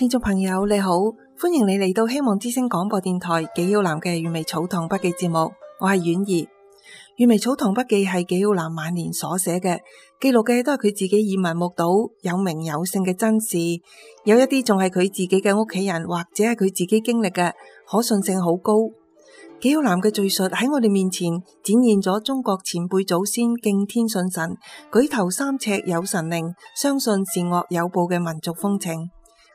聽眾朋友你好，歡迎你嚟到希望之聲廣播電台紀曉嵐嘅閱微草堂筆記節目，我係婉兒。閱微草堂筆記係紀曉嵐晚年所寫嘅，記錄嘅都係佢自己耳聞目睹有名有姓嘅真事，有一啲仲係佢自己嘅屋企人或者係佢自己經歷嘅，可信性好高。紀曉嵐嘅敘述喺我哋面前展現咗中國前輩祖先敬天信神、舉頭三尺有神靈、相信善惡有報嘅民族風情。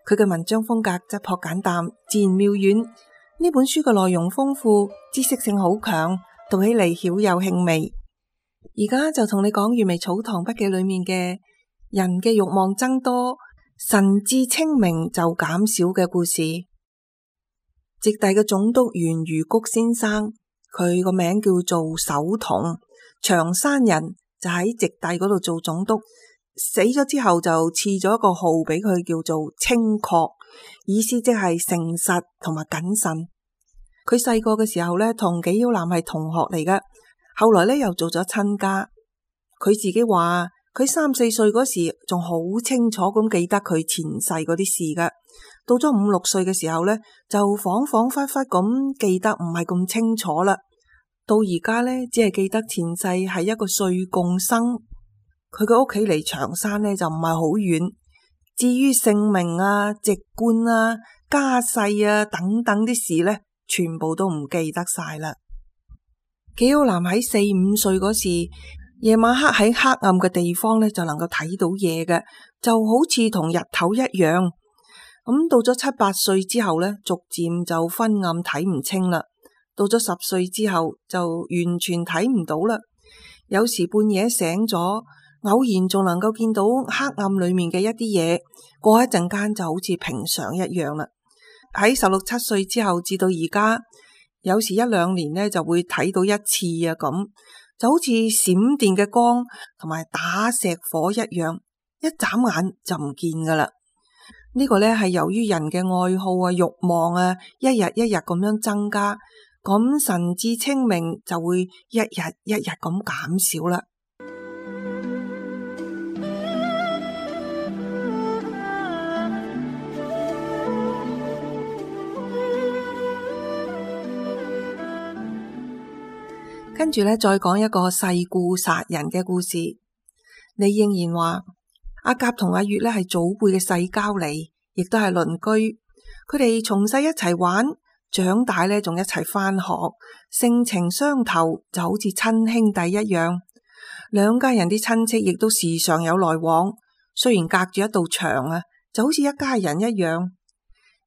佢嘅文章風格質樸簡淡，自然妙遠。呢本書嘅內容豐富，知識性好強，讀起嚟曉有興味。而家就同你講閱微草堂筆記裏面嘅人嘅慾望增多，神志清明就減少嘅故事。直隸嘅總督袁如谷先生，佢個名叫做守同，長山人，就喺直隸嗰度做總督。死咗之後就賜咗一個號俾佢，叫做清確，意思即係誠實同埋謹慎。佢細個嘅時候呢，同紀曉嵐係同學嚟嘅，後來呢又做咗親家。佢自己話佢3、4歲嗰時仲好清楚咁記得佢前世嗰啲事㗎，到咗5、6歲嘅時候呢，就恍恍惚惚咁記得唔係咁清楚啦。到而家呢，只係記得前世係一個歲貢生。佢嘅屋企離長山呢就唔係好遠，至於姓名啊、籍貫啊、家世啊等等啲事呢，全部都唔記得晒啦。紀曉嵐喺4、5歲嗰時，夜晚黑喺黑暗嘅地方呢就能夠睇到嘢嘅，就好似同日頭一樣。咁到咗7、8歲之後呢，逐漸就昏暗睇唔清啦。到咗10歲之後就完全睇唔到啦。有時半夜醒咗，偶然仲能夠見到黑暗裏面嘅一啲嘢，過一陣間就好似平常一樣啦。喺16、17歲之後至到而家，有時1、2年呢就會睇到一次啊，咁就好似閃電嘅光同埋打石火一樣，一眨眼就唔見噶啦。呢個呢係由於人嘅愛好啊、慾望啊，一日一日咁樣增加，咁神志清明就會一日一日咁減少啦。跟住呢，再講一個世故殺人嘅故事。李應然話阿甲同阿月呢係祖輩嘅世交嚟，亦都係鄰居。佢哋從細一齊玩，長大呢仲一齊返學，性情相投，就好似親兄弟一樣。兩家人啲親戚亦都時常有來往，雖然隔住一道牆啊，就好似一家人一樣。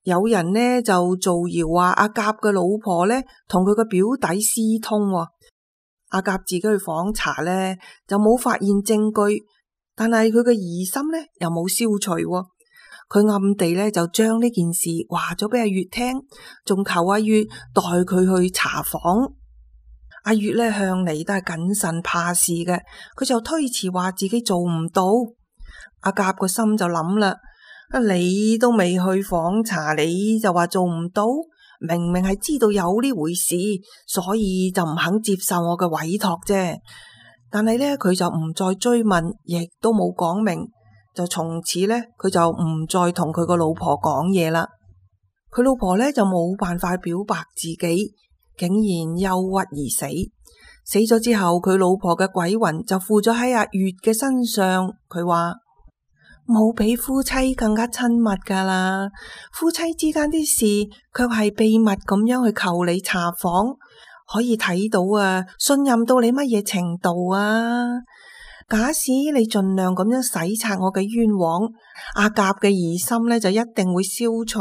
有人呢就造謠話阿甲嘅老婆呢同佢個表弟私通。阿甲自己去訪查呢，就冇發現證據，但係佢嘅疑心呢又冇消除。佢暗地呢就將呢件事話咗俾阿月聽，仲求阿月代佢去查訪。阿月呢向嚟都係謹慎怕事嘅，佢就推辭話自己做唔到。阿甲個心就諗啦，你都未去訪查，你就話做唔到？明明係知道有呢回事，所以就唔肯接受我嘅委託啫。但係呢，佢就唔再追問，亦都冇講明，就從此呢，佢就唔再同佢個老婆講嘢啦。佢老婆呢，就冇辦法表白自己，竟然憂鬱而死。死咗之後，佢老婆嘅鬼魂就附咗喺阿月嘅身上。佢話冇比夫妻更加親密噶啦，夫妻之間啲事卻係秘密咁樣去求你查訪，可以睇到啊，信任到你乜嘢程度啊？假使你盡量咁樣洗刷我嘅冤枉，阿甲嘅疑心呢就一定會消除。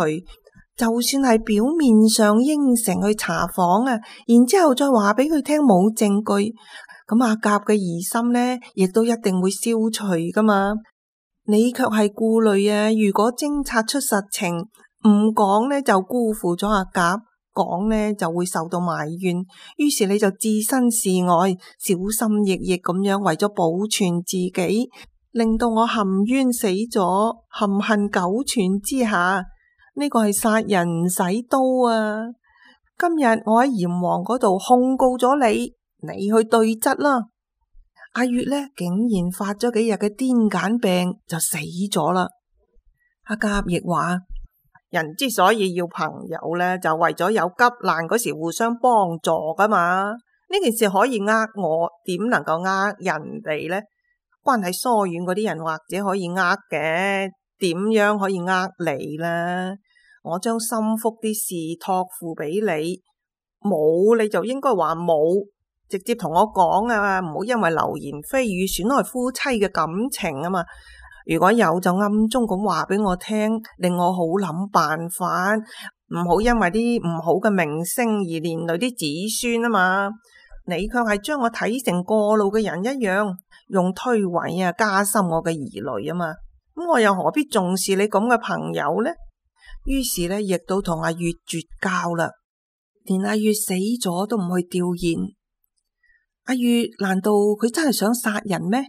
就算係表面上應承去查訪啊，然之後再話俾佢聽冇證據，咁阿甲嘅疑心呢亦都一定會消除噶嘛。你卻係顧慮啊，如果偵察出實情，唔講呢就辜負咗阿甲，講呢就會受到埋怨，於是你就置身事外，小心翼翼咁樣為咗保存自己，令到我含冤死咗，含恨苟存之下。呢個係殺人唔使刀啊！今日我喺閻王嗰度控告咗你，你去對質啦。阿月呢竟然發咗幾日嘅癲癇病就死咗啦。阿甲亦話：人之所以要朋友咧，就為咗有急難嗰時互相幫助噶嘛。呢件事可以我，點能夠人哋咧？關係疏遠嗰啲人或者可以嘅，點樣可以你咧？我將心腹啲事託付俾你，冇你就應該話冇，直接同我講啊，唔好因為流言蜚語損害夫妻嘅感情啊嘛。如果有就暗中咁話俾我聽，令我好諗辦法，唔好因為啲唔好嘅名聲而連累啲子孫啊嘛。你卻係將我睇成過路嘅人一樣，用推諉加深我嘅疑慮啊嘛。咁我又何必重視你咁嘅朋友呢？於是呢，亦都同阿月絕交啦，連阿月死咗都唔去弔唁。阿月難道佢真係想殺人咩？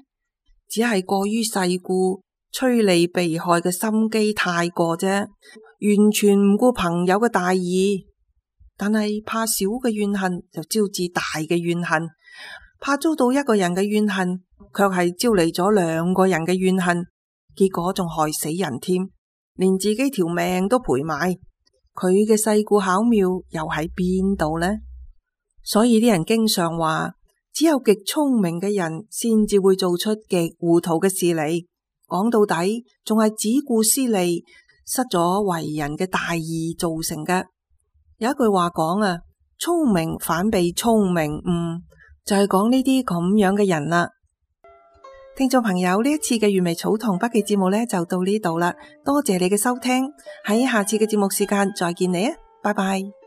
只係過於世故，趨利避害嘅心機太過啫，完全唔顧朋友嘅大義。但係怕小嘅怨恨就招致大嘅怨恨，怕遭到一個人嘅怨恨，卻係招嚟咗兩個人嘅怨恨，結果仲害死人添，連自己條命都賠埋。佢嘅世故巧妙又喺邊度呢？所以啲人經常話，只有極聰明嘅人先至會做出極糊塗嘅事嚟。講到底，仲係只顧私利，失咗為人嘅大義造成嘅。有一句話講啊，聰明反被聰明誤，就係講呢啲咁樣嘅人啦。聽眾朋友，呢一次嘅原味草堂筆記節目呢就到呢度啦，多謝你嘅收聽，喺下次嘅節目時間再見你啊，拜拜。